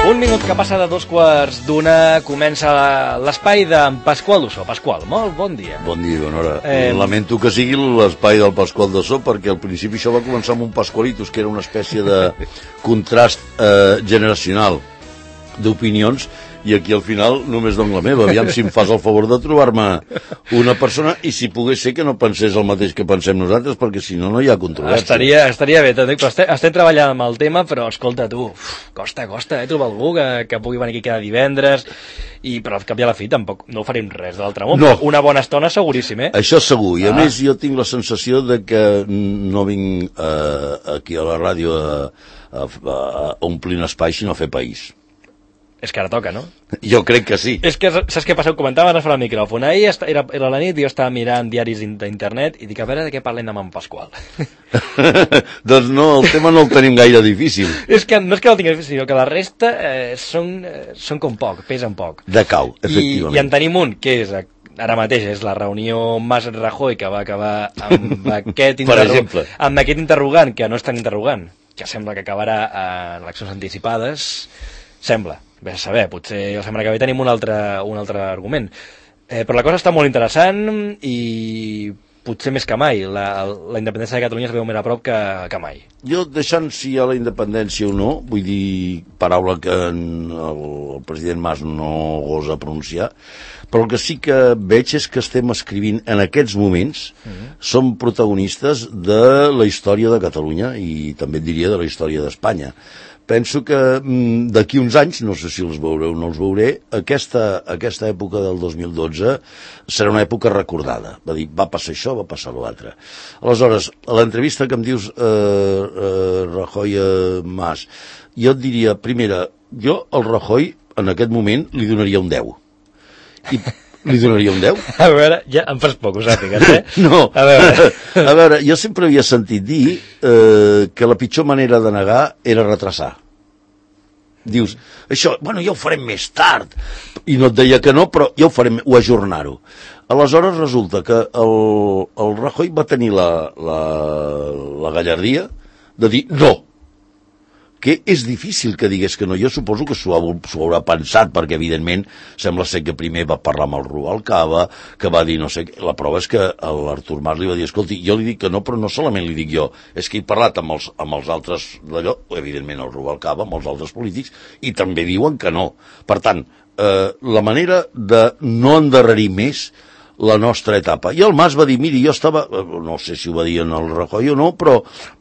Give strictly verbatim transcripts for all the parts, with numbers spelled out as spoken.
Un minut que passa de dos quarts d'una, comença l'espai d'en Pasqual Dussó. Pasqual, molt bon dia. Bon dia, bona hora. Eh... Lamento que sigui l'espai del Pasqual Dussó, perquè al principi això va començar amb un Pasqualitos, que era una espècie de contrast eh, generacional d'opinions, i aquí al final només dono la meva. Aviam si em fas el favor de trobar-me una persona, i si pogués ser que no pensés el mateix que pensem nosaltres, perquè si no, no hi ha controvèrsia. Estaria, estaria bé, però estem, estem treballant amb el tema, però escolta tu, uf, costa, costa, eh, trobar algú que, que pugui venir aquí cada divendres, i però al cap i a la fi tampoc no farem res de l'altre món. No. Una bona estona seguríssim, eh? Això segur, i a ah. més jo tinc la sensació de que no vinc eh, aquí a la ràdio a, a, a omplir un espai, sinó a fer país. És que ara toca, no? Jo crec que sí. És que, saps què passa? Ho comentava ara fora el micròfon. Ahir era, era la nit i jo estava mirant diaris d'internet i dic, a veure de què parlem amb en Pasqual. Doncs no, el tema no el tenim gaire difícil. És que no és que no el tinguem difícil, sinó que la resta eh, són, eh, són com poc, pesen poc. De cau, efectivament. I, i en tenim un, que és... Ara mateix és la reunió Mas-Rajoy, que va acabar amb aquest, interro... amb aquest interrogant, que no és tan interrogant, que sembla que acabarà en eleccions anticipades. Sembla. Bé a saber, potser la setmana que ve tenim un altre, un altre argument. Eh, però la cosa està molt interessant i potser més que mai. La, la independència de Catalunya es veu més a prop que, que mai. Jo, deixant si hi ha la independència o no, vull dir, paraula que el, el president Mas no gosa pronunciar, però el que sí que veig és que estem escrivint en aquests moments, mm-hmm. som protagonistes de la història de Catalunya i també et diria de la història d'Espanya. Penso que d'aquí uns anys, no sé si els veuré o no els veuré, aquesta, aquesta època del dos mil dotze serà una època recordada. Va dir, va passar això, va passar l'altre. Aleshores, a l'entrevista que em dius, eh, eh, Rajoy eh, Mas, jo et diria, primera, jo al Rajoy en aquest moment li donaria un deu. I li donaria un deu? A veure, ja em fas poc, ho sàpigues, eh? No, a veure, a veure jo sempre havia sentit dir eh, que la pitjor manera de negar era retrasar. Dius, això, bueno, ja ho farem més tard. I no et deia que no, però ja ho farem, o ajornar-ho. Aleshores resulta que el, el Rajoy va tenir la, la, la gallardia de dir no. Que és difícil que digués que no. Jo suposo que s'ho haurà pensat, perquè evidentment sembla ser que primer va parlar amb el Rubalcaba, que va dir no sé què. La prova és que l'Artur Mas li va dir, escolti, jo li dic que no, però no solament li dic jo, és que he parlat amb els, amb els altres d'allò, evidentment el Rubalcaba, amb els altres polítics, i també diuen que no. Per tant, eh, la manera de no endarrerir més la nostra etapa. I el Mas va dir, miri, jo estava, no sé si ho va dir en el Rajoy o no, però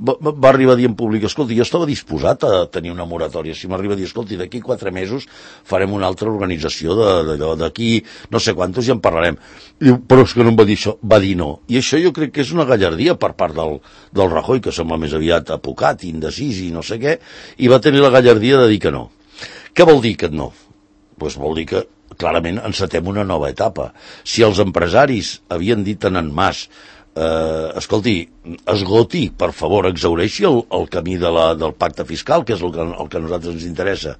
va, va arribar a dir en públic, escolti, jo estava disposat a tenir una moratòria. Si m'arriba a dir, escolti, d'aquí quatre mesos farem una altra organització d'allò, d'aquí no sé quantos i en parlarem. I, però és que no em va dir això, va dir no. I això jo crec que és una gallardia per part del, del Rajoy, que sembla més aviat apocat, indecís i no sé què, i va tenir la gallardia de dir que no. Què vol dir que no? Doncs vol dir que clarament encetem una nova etapa. Si els empresaris havien dit en en Mas, eh, escolti, esgoti, per favor, exhaureixi el, el camí de la, del pacte fiscal, que és el que, el que a nosaltres ens interessa.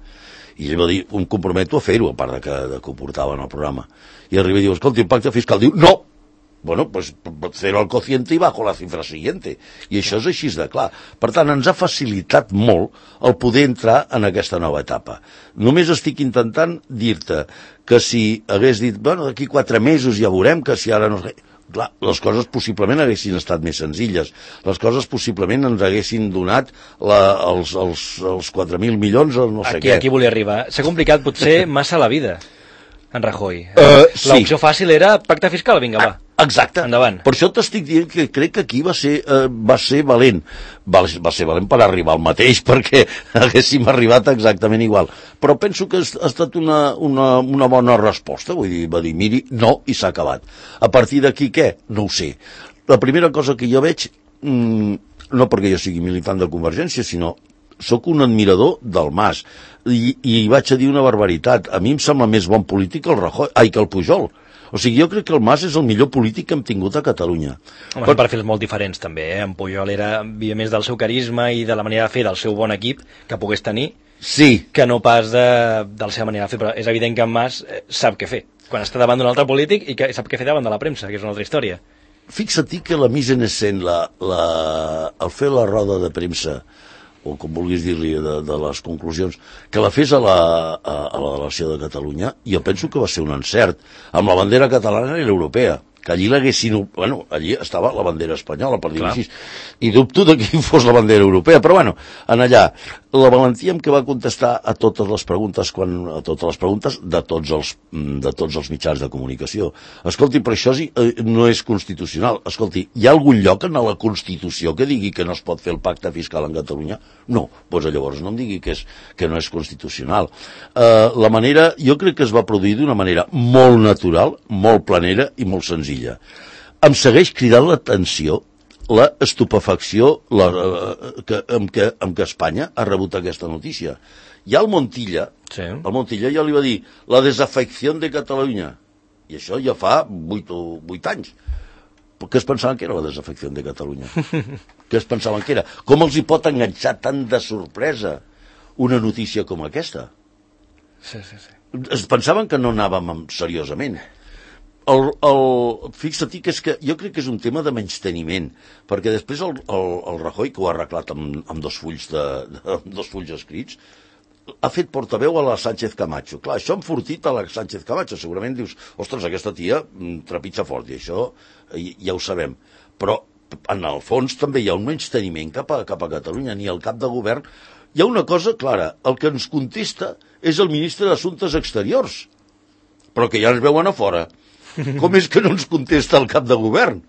I ell va dir, em comprometo a fer-ho, a part de que, de que ho portava en el programa. I arriba i diu, escolti, el pacte fiscal, diu, no! Bueno, pues cero al cociente y bajo la cifra siguiente. I això és així de clar. Per tant, ens ha facilitat molt el poder entrar en aquesta nova etapa. Només estic intentant dir-te que si hagués dit, bueno, d'aquí quatre mesos ja veurem que si ara no... Clar, les coses possiblement haguessin estat més senzilles. Les coses possiblement ens haguessin donat la, els, els, els quatre mil milions o no sé aquí, què. Aquí volia arribar. S'ha complicat potser massa la vida, en Rajoy. Uh, sí. L'opció fàcil era pacte fiscal, vinga, va. Exacte. Endavant. Per això t'estic dient que crec que aquí va ser, eh, va ser valent. Va, va ser valent per arribar al mateix, perquè haguéssim arribat exactament igual. Però penso que ha estat una, una, una bona resposta. Vull dir, va dir, miri, no, i s'ha acabat. A partir d'aquí, què? No ho sé. La primera cosa que jo veig, mmm, no perquè jo sigui militant de Convergència, sinó sóc un admirador del Mas. I, i vaig a dir una barbaritat. A mi em sembla més bon polític el Rajoy, ai, que el Pujol. O sigui, jo crec que el Mas és el millor polític que hem tingut a Catalunya. Home, són perfils molt diferents, també, eh? En Pujol era, havia més del seu carisma i de la manera de fer del seu bon equip que pogués tenir, sí, que no pas de, de la seva manera de fer. Però és evident que en Mas eh, sap què fer, quan està davant d'un altre polític i que sap què fer davant de la premsa, que és una altra història. Fixa't que la mise en escena, la, la, el fer la roda de premsa, o com vulguis dir-li, de, de les conclusions, que la fes a la, a, a la delegació de Catalunya, jo penso que va ser un encert, amb la bandera catalana i l'europea, que allí l'haguessin... Bueno, allí estava la bandera espanyola, per dir-ho així, i dubto de qui fos la bandera europea, però bueno, en allà, la valentia amb què va contestar a totes les preguntes, quan, a totes les preguntes de tots els, de tots els mitjans de comunicació. Escolti, però això sí, eh, no és constitucional. Escolti, hi ha algun lloc en la Constitució que digui que no es pot fer el pacte fiscal en Catalunya? No, doncs llavors no em digui que, és, que no és constitucional. Eh, la manera, jo crec que es va produir d'una manera molt natural, molt planera i molt senzilla. Em segueix cridant l'atenció la estupefacció la, eh, que, amb, que, amb què Espanya ha rebut aquesta notícia. Ja el Montilla, sí. el Montilla ja li va dir la desafecció de Catalunya, i això ja fa vuit, vuit anys. Què es pensaven que era la desafecció de Catalunya? Què es pensaven que era? Com els hi pot enganxar tant de sorpresa una notícia com aquesta? Sí, sí, sí. Es pensaven que no anàvem seriosament. El, el, fixa-t'hi que és que jo crec que és un tema de menysteniment, perquè després el, el, el Rajoy, que ho ha arreglat amb, amb dos fulls de, de, amb dos fulls escrits, ha fet portaveu a la Sánchez Camacho. Clar, això ha enfortit a la Sánchez Camacho. Segurament dius, ostres, aquesta tia trepitja fort, i això ja ho sabem. Però en el fons també hi ha un menysteniment cap a, cap a Catalunya, ni el cap de govern. Hi ha una cosa clara, el que ens contesta és el ministre d'Assumptes Exteriors, però que ja ens veuen a fora. Com és que no ens contesta el cap de govern?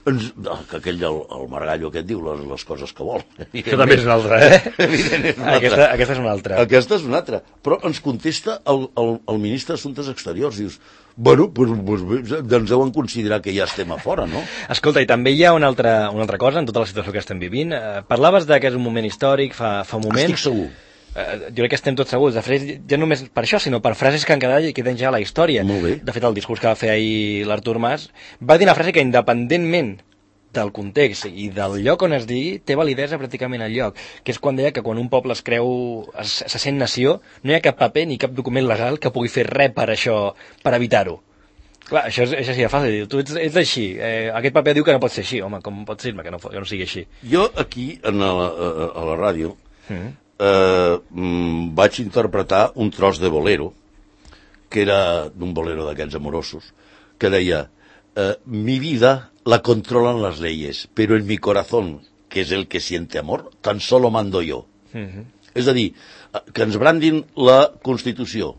Ens, que aquell, el, el Margallo aquest diu les, les coses que vol. Això també és una altra, eh? És una aquesta, altra. aquesta és una altra. Aquesta és una altra. Però ens contesta el, el, el ministre d'Assumptes Exteriors. Dius, bueno, pues, pues, ens deuen considerar que ja estem a fora, no? Escolta, i també hi ha una altra, una altra cosa en tota la situació que estem vivint. Eh, parlaves de que és un moment històric fa, fa un moment. Estic segur. Uh, jo crec que estem tots segurs, de fet, ja només per això, sinó per frases que han quedat i queden ja a la història. Molt bé. De fet, el discurs que va fer ahir l'Artur Mas va dir una frase que, independentment del context i del lloc on es digui, té validesa pràcticament al lloc, que és quan deia que quan un poble es creu, es, se sent nació, no hi ha cap paper ni cap document legal que pugui fer res per això, per evitar-ho. Clar, això és, és així de fàcil, tu ets, ets així, eh, aquest paper diu que no pot ser així, home, com pot ser-me que, no, que no sigui així? Jo aquí, a la, a, a la ràdio, mm. Eh, mm, vaig interpretar un tros de bolero, que era d'un bolero d'aquests amorosos, que deia eh, mi vida la controlan las leyes, pero en mi corazón, que es el que siente amor, tan solo mando yo. Mm-hmm. És a dir, que ens brandin la Constitució.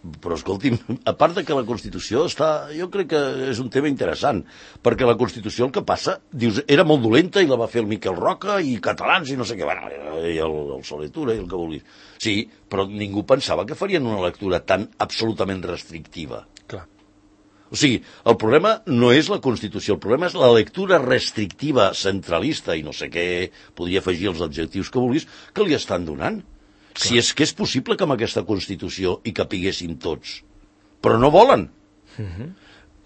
Però escolti'm, a part de que la Constitució està, jo crec que és un tema interessant, perquè la Constitució el que passa, dius, era molt dolenta i la va fer el Miquel Roca i catalans i no sé què, bueno, i el, el Soletura i el que vulguis. Sí, però ningú pensava que farien una lectura tan absolutament restrictiva. Clar. O sigui, el problema no és la Constitució, el problema és la lectura restrictiva, centralista i no sé què, podria afegir els adjectius que vulguis, que li estan donant. Clar. Si és que és possible que amb aquesta Constitució hi capiguessin tots, però no volen. Uh-huh.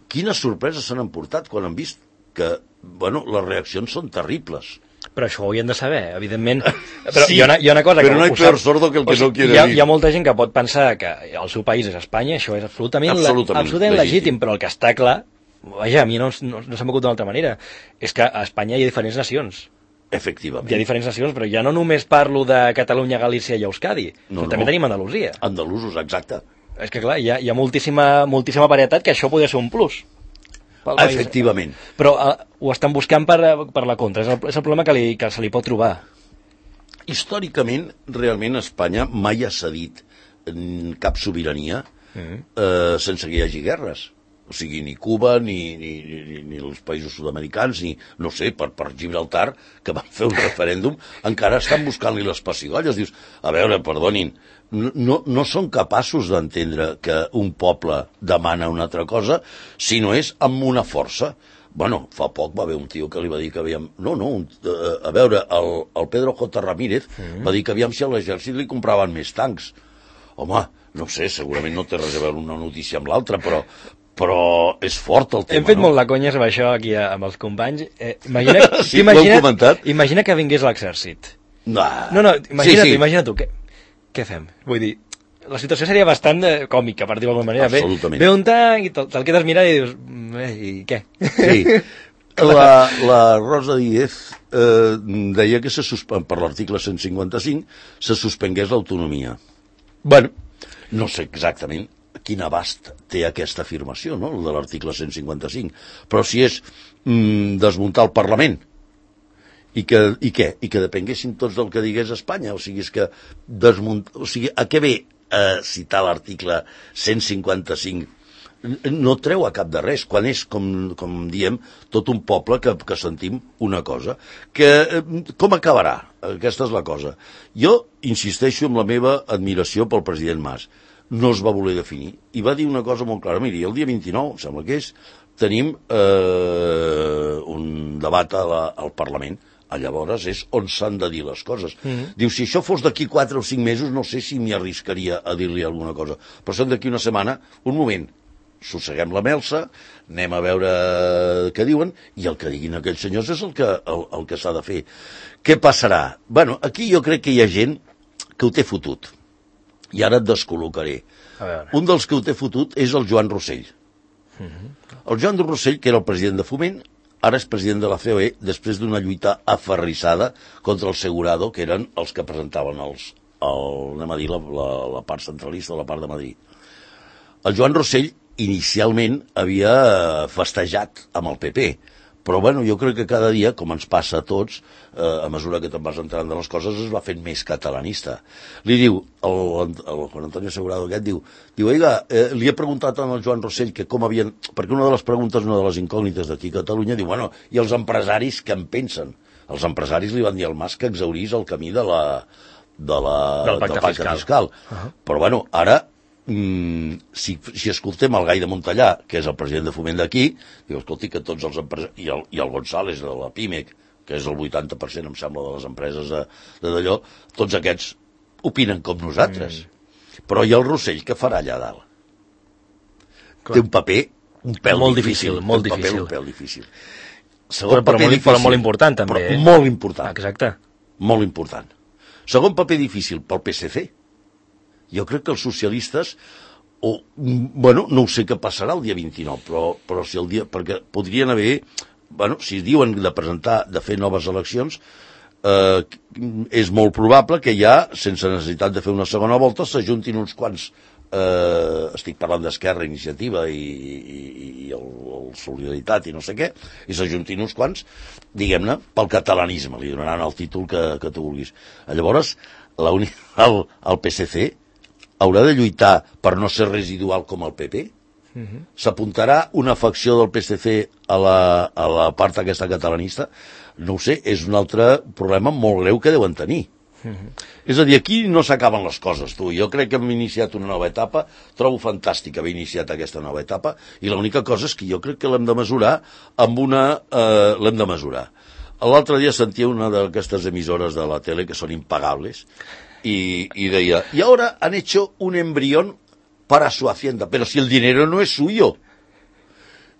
Quines sorpreses s'han emportat quan han vist que, bueno, les reaccions són terribles. Però això ho haurien de saber, evidentment. Però sí, hi ha una, hi ha una cosa però que no hay peor sordo que el que o sigui, no quiere hi ha, dir. Hi ha molta gent que pot pensar que el seu país és Espanya, això és absolutament, absolutament, la, absolutament legítim. legítim, però el que està clar, vaja, a mi no, no, no se m'acut d'una altra manera, és que a Espanya hi ha diferents nacions. Efectivament. Hi ha diferents nacions, però ja no només parlo de Catalunya, Galícia i Euskadi, no, també no. tenim Andalusia. Andalusos, exacte. És que clar, hi ha, hi ha moltíssima, moltíssima varietat que això podria ser un plus. Efectivament. Però uh, ho estan buscant per, per la contra, és el, és el problema que, li, que se li pot trobar. Històricament, realment, Espanya mai ha cedit cap sobirania mm. eh, sense que hi hagi guerres. O sigui, ni Cuba, ni, ni, ni, ni els països sud-americans, ni, no sé, per, per Gibraltar, que van fer un referèndum, encara estan buscant-li les pessigolles. Dius, a veure, perdonin, no, no són capaços d'entendre que un poble demana una altra cosa, si no és amb una força. Bueno, fa poc va haver un tio que li va dir que aviam... No, no, un, a veure, el, el Pedro J. Ramírez mm. va dir que aviam si a l'exèrcit li compraven més tancs. Home, no sé, segurament no té res a veure una notícia amb l'altra, però... però és fort el tema, Hem fet no? molt la conya amb això aquí amb els companys. Eh, imagina, sí, imagina, imagina que vingués l'exèrcit. No, no, no imagina sí, sí. tu, imagina tu. Què, què fem? Vull dir, la situació seria bastant eh, còmica, per dir-ho d'alguna manera. Absolutament. Ve, ve un tanc i te'l te quedes mirant i dius, eh, i què? Sí. La, la Rosa Díez eh, deia que se suspèn, per l'article cent cinquanta-cinc se suspengués l'autonomia. Bueno, no sé exactament quin abast té aquesta afirmació, no?, de l'article cent cinquanta-cinc, però si és mm, desmuntar el Parlament i que, i què? I que depenguessin tots del que digués Espanya, o sigui, és que desmunt... o sigui, a què ve eh, citar l'article cent cinquanta-cinc? No treu a cap de res, quan és, com, com diem, tot un poble que, que sentim una cosa. Que, com acabarà? Aquesta és la cosa. Jo insisteixo en la meva admiració pel president Mas. No es va voler definir. I va dir una cosa molt clara. Miri, el dia vint-i-nou, em sembla que és, tenim eh, un debat a la, al Parlament. A llavors és on s'han de dir les coses. Mm-hmm. Diu, si això fos d'aquí quatre o cinc mesos, no sé si m'hi arriscaria a dir-li alguna cosa. Però són d'aquí una setmana, un moment, sosseguem la melsa, anem a veure què diuen, i el que diguin aquells senyors és el que, el, el que s'ha de fer. Què passarà? Bueno, aquí jo crec que hi ha gent que ho té fotut. I ara et descol·locaré. Un dels que ho té fotut és el Joan Rossell. Mm-hmm. El Joan Rossell, que era el president de Foment, ara és president de la C O E, després d'una lluita aferrissada contra el Segurado, que eren els que presentaven els, el, anem a dir, la, la, la part centralista, la part de Madrid. El Joan Rossell inicialment havia festejat amb el P P, però bueno, jo crec que cada dia, com ens passa a tots, eh, a mesura que te'n vas entrant de les coses, es va fent més catalanista. Li diu, el, el Juan Antonio Segurado aquest, diu, diu oiga, eh, li he preguntat al Joan Rossell que com havien... Perquè una de les preguntes, una de les incògnites d'aquí a Catalunya, diu, bueno, i els empresaris què en pensen? Els empresaris li van dir al Mas que exhaurís el camí de la, de la, del pacte, del pacte fiscal. fiscal. Uh-huh. Però bueno, ara... Mm, si, si escoltem el Gai de Montellà, que és el president de Foment d'aquí, diu, escolti, que tots els empresaris, i el, i el González de la Pimec, que és el vuitanta per cent, em sembla, de les empreses de, de d'allò, tots aquests opinen com nosaltres. Mm. Però hi ha el Rossell, que farà allà dalt? Clar. Té un paper un pèl molt difícil, difícil, molt un paper difícil. un pèl difícil. Segon però, però, paper molt, difícil, però molt important, també. Però molt important. Exacte. Molt important. Segon paper difícil pel P S C. Jo crec que els socialistes, o, bueno, no ho sé què passarà el dia vint-i-nou, però, però si el dia, perquè podrien haver, bueno, si diuen de presentar, de fer noves eleccions, eh, és molt probable que ja, sense necessitat de fer una segona volta, s'ajuntin uns quants, eh, estic parlant d'Esquerra, Iniciativa i, i, i el, el Solidaritat i no sé què, i s'ajuntin uns quants, diguem-ne, pel catalanisme, li donaran el títol que, que tu vulguis. Llavors, la uni, el, el P S C haurà de lluitar per no ser residual com el P P? Uh-huh. S'apuntarà una facció del P S C a la, a la part aquesta catalanista? No ho sé, és un altre problema molt greu que deuen tenir. Uh-huh. És a dir, aquí no s'acaben les coses, tu. Jo crec que hem iniciat una nova etapa, trobo fantàstic haver iniciat aquesta nova etapa, i l'única cosa és que jo crec que l'hem de mesurar amb una... Eh, l'hem de mesurar. L'altre dia sentia una d'aquestes emissores de la tele que són impagables, Y, y deía, y ahora han hecho un embrión para su hacienda, pero si el dinero no es suyo.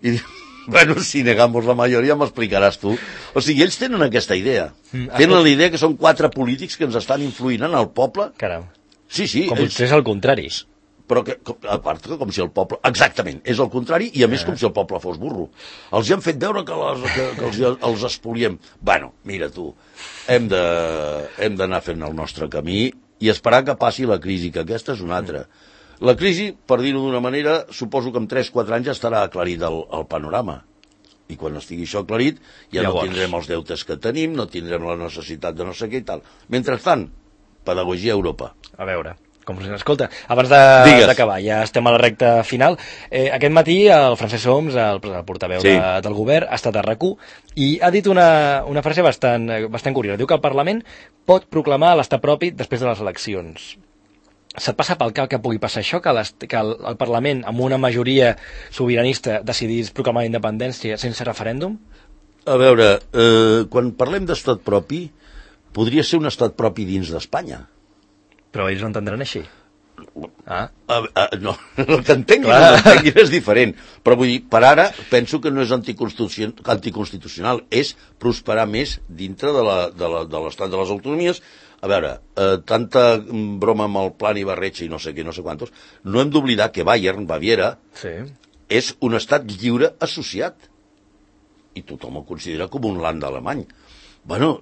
Y bueno, si negamos la majoria, m'explicaràs tu. O sigui, ells tenen aquesta idea. Mm, tenen la idea que són quatre polítics que ens estan influint en el poble. Caram. Sí, sí. Com ells... potser és el contrari. Però que, com, a part, com si el poble... Exactament, és el contrari, i a més com si el poble fos burro. Els han fet veure que, les, que, que els, els espoliem. Bueno, mira tu, hem de, hem d'anar fent el nostre camí i esperar que passi la crisi, que aquesta és una altra. La crisi, per dir-ho d'una manera, suposo que en tres quatre anys ja estarà aclarit el, el panorama. I quan estigui això aclarit, ja Llavors. no tindrem els deutes que tenim, no tindrem la necessitat de no sé què i tal. Mentrestant, pedagogia a Europa. A veure... Com us escolta, abans d'acabar, ja estem a la recta final. Eh, aquest matí el Francesc Homs, el, el portaveu sí. de, del govern, ha estat a RAC u i ha dit una, una frase bastant, bastant curiosa. Diu que el Parlament pot proclamar l'estat propi després de les eleccions. Se't passa pel cap que pugui passar això, que, que el, el Parlament, amb una majoria sobiranista, decidís proclamar la independència sense referèndum? A veure, eh, quan parlem d'estat propi, podria ser un estat propi dins d'Espanya. Però ells ho entendran així. Ah. Uh, uh, no, el que entenguin, no entenguin és diferent. Però vull dir, per ara, penso que no és anticonstitucional, anticonstitucional és prosperar més dintre de l'estat de, de les autonomies. A veure, eh, tanta broma amb el Plan Ibarretxe i no sé què, no sé quantos, no hem d'oblidar que Bayern, Baviera, sí. és un estat lliure associat. i tothom el considera com un land alemany. Bueno,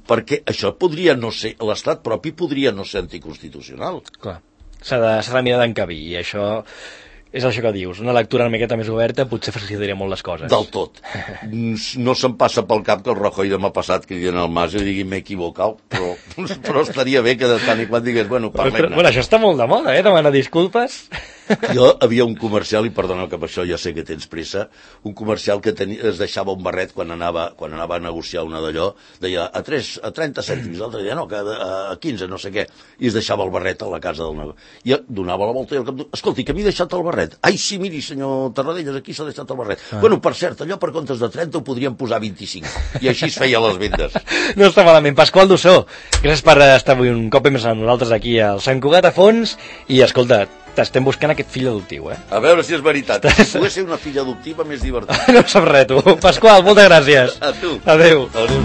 perquè això podria no ser, l'estat propi podria no ser anticonstitucional. Clar, s'ha de, s'ha de mirar d'encabir, i això és això que dius, una lectura una miqueta més oberta potser facilitaria molt les coses. Del tot. No se'm passa pel cap que el Rajoy demà passat cridin al Mas i digui m'he equivocat, però, però estaria bé que de tant i quan digués, bueno, parlem-ne. Bueno, això està molt de moda, eh, demanar disculpes. Jo havia un comercial, i perdona que per això ja sé que tens pressa, un comercial que tenia, es deixava un barret quan anava, quan anava a negociar una d'allò, deia a, tres, a trenta cèntims, l'altre deia no, que a quinze, no sé què, i es deixava el barret a la casa del negoci. I donava la volta i el cap, escolti, que m'he deixat el barret. Ai, sí, miri, senyor Tarradellas, aquí s'ha deixat el barret. Ah. Bueno, per cert, allò per comptes de trenta ho podríem posar vint-i-cinc. I així es feia les vendes. No està malament. Pasqual Dussó, gràcies per estar avui un cop més amb nosaltres aquí al Sant Cugat a fons, i escolta, t'estem buscant aquest fill adoptiu, eh? A veure si és veritat. Si pogués ser una filla adoptiva, més divertit. No sap res, tu. Pasqual, moltes gràcies. A tu. Adéu. Adéu.